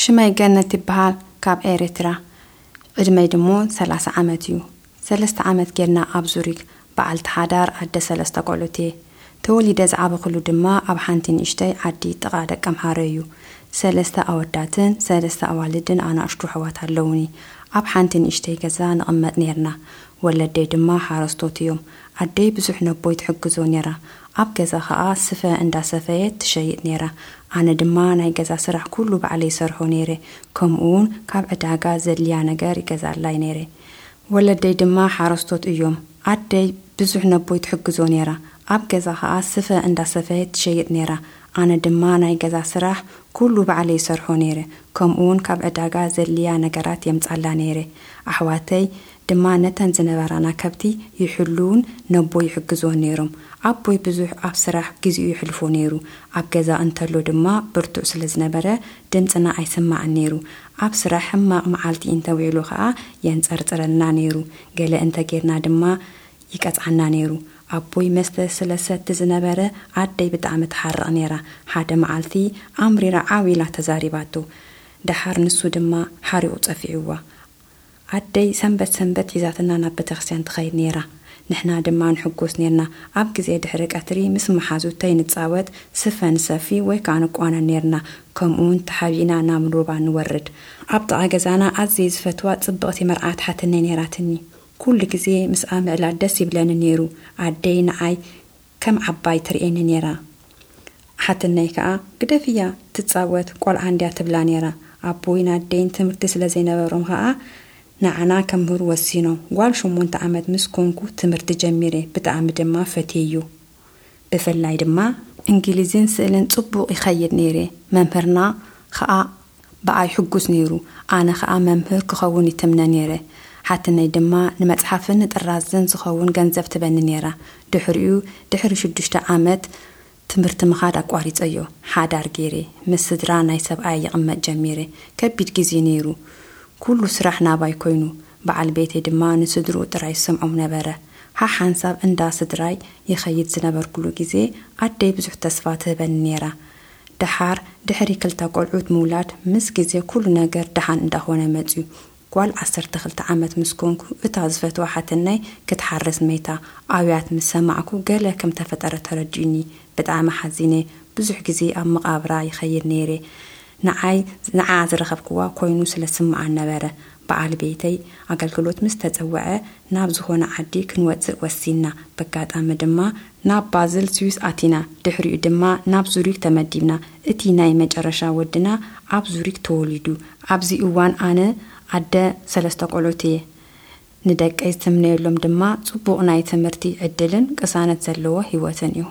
ሽመይ ገነት ይበሃል። ካብ ኤርትራ። ዕድመይ ድሞ ሰላሳ ዓመት እዩ። ሰለስተ ዓመት ጌርና ኣብ ዙሪክ በዓልቲ ሓዳር ኣደ ሰለስተ ቆልዑት እየ። ተወሊደ ዝዓበኹሉ ድማ ኣብ ሓንቲ ንእሽተይ ዓዲ ጥቓ ደቀምሓረ እዩ። ሰለስተ ኣወዳትን ሰለስተ ኣዋልድን ኣናእሽቱ ኣሕዋት ኣለዉኒ። ኣብ ሓንቲ ንእሽተይ ገዛ ንቕመጥ ኔርና። ወለደይ ድማ ሓረስቶት እዮም። ኣደይ ብዙሕ ነቦይ ትሕግዞ ኔራ። ኣብ ገዛ ኸኣ ስፈ እንዳሰፈየት ትሸይጥ ኔራ። ኣነ ድማ ናይ ገዛ ስራሕ ኩሉ ባዕለይ ይሰርሖ ኔረ። ከምኡውን ካብ ዕዳጋ ዘድልያ ነገር ይገዛላይ ኔረ። ወለደይ ድማ ሓረስቶት እዮም። ኣደይ ብዙሕ ነቦይ ትሕግዞ ኔራ። ኣብ ገዛ ኸኣ ስፈ እንዳሰፈየት ትሸይጥ ኔራ። ኣነ ድማ ናይ ገዛ ስራሕ ኩሉ ባዕለይ ይሰርሖ ኔረ። ከምኡውን ካብ ዕዳጋ ዘድልያ ነገራት የምጻላ ኔረ። ኣሕዋተይ ድማ ነተን ዝነበራና ከብቲ ይሕልውን ነቦይ ይሕግዝዎን ነይሮም። ኣቦይ ብዙሕ ኣብ ስራሕ ግዜኡ የሕልፎ ነይሩ። ኣብ ገዛ እንተሎ ድማ ብርቱዕ ስለ ዝነበረ ድምፅና ኣይስማዕን ነይሩ። ኣብ ስራሕ ሕማቕ መዓልቲ እንተውዒሉ ኸኣ የንፀርፅረልና ነይሩ። ገለ እንተጌርና ድማ ይቀፅዓና ነይሩ። ኣቦይ መስተ ስለ ሰቲ ዝነበረ ኣደይ ብጣዕሚ ትሓርቕ ነይራ። ሓደ መዓልቲ ኣምሪራ ዓው ኢላ ተዛሪባቶ። ደሓር ንሱ ድማ ሓሪቑ ጸፊዕዋ። ኣደይ ሰንበት ሰንበት ሒዛትና ናብ ቤተክርስትያን ትኸይድ ነይራ። ንሕና ድማ ንሕጎስ ነርና። ኣብ ግዜ ድሕሪ ቀትሪ ምስ መሓዙተይ ንጻወት፣ ስፈ ንሰፊ ወይ ከኣ ንቋነን ነርና። ከምኡውን ተሓቢእና ናብ ሩባ ንወርድ። ኣብ ጥቓ ገዛና ኣዝየ ዝፈትዋ ጽብቕቲ መርዓት ሓትነይ ነይራትኒ። ኩሉ ግዜ ምስኣ ምዕላል ደስ ይብለኒ ነይሩ። ኣደይ ንዓይ ከም ዓባይ ትርእየኒ ነይራ። ሓትነይ ከኣ ግደፍያ ትጻወት ቆልዓ እንድያ ትብላ ነይራ። ኣቦይን ኣደይን ትምህርቲ ስለ ዘይነበሮም ከኣ ንዓና ከምህሩ ወሲኖም። ጓል ሸሞንተ ዓመት ምስ ኮንኩ ትምህርቲ ጀሚረ። ብጣዕሚ ድማ ፈትየዮ። ብፍላይ ድማ እንግሊዝን ስእልን ጽቡቕ ይኸይድ ነይረ። መምህርና ከኣ ብኣይ ሕጉስ ነይሩ። ኣነ ከኣ መምህር ክኸውን ይትምነ ነይረ። ሓትነይ ድማ ንመጽሓፍን ንጥራዝን ዝኸውን ገንዘብ ትበኒ ነይራ። ድሕሪኡ ድሕሪ ሽዱሽተ ዓመት ትምህርቲ ምኻድ ኣቋሪጸዮ። ሓዳር ገይረ ምስ ስድራ ናይ ሰብኣይ ይቕመጥ ጀሚረ። ከቢድ ግዜ ነይሩ። ኩሉ ስራሕ ናባይ ኮይኑ። በዓል ቤተይ ድማ ንስድርኡ ጥራይ ዝሰምዖም ነበረ። ሓሓንሳብ እንዳ ስድራይ ይኸይድ ዝነበርኩሉ ግዜ ኣደይ ብዙሕ ተስፋ ትህበኒ ነይራ። ደሓር ድሕሪ ክልተ ቆልዑት ምውላድ ምስ ግዜ ኩሉ ነገር ደሓን እንዳኾነ መጽዩ። ጓል ዓሰርተ ክልተ ዓመት ምስ ኮንኩ እታ ዝፈትዋ ሓትነይ ክትሓርስ መይታ። ኣውያት ምስ ሰማዕኩ ገለ ከም ተፈጠረ ተረዲኡኒ። ብጣዕሚ ሓዚነ። ብዙሕ ግዜ ኣብ መቓብራ ይኸይድ ነይረ። ንዓይ ንዓ ዝረኸብክዋ ኮይኑ ስለ ዝስምዓን ነበረ። በዓል ቤተይ ኣገልግሎት ምስ ተጸውዐ ናብ ዝኾነ ዓዲ ክንወጽእ ወሲንና። በጋጣሚ ድማ ናብ ባዝል ስዊስ ኣቲና። ድሕሪኡ ድማ ናብ ዙሪክ ተመዲብና። እቲ ናይ መጨረሻ ወድና ኣብ ዙሪክ ተወሊዱ። ኣብዚ እዋን ኣነ ኣደ ሰለስተ ቆልዑት እየ። ንደቀይ ዝትምነየሎም ድማ ጽቡቕ ናይ ትምህርቲ ዕድልን ቅሳነት ዘለዎ ህይወትን እዩ።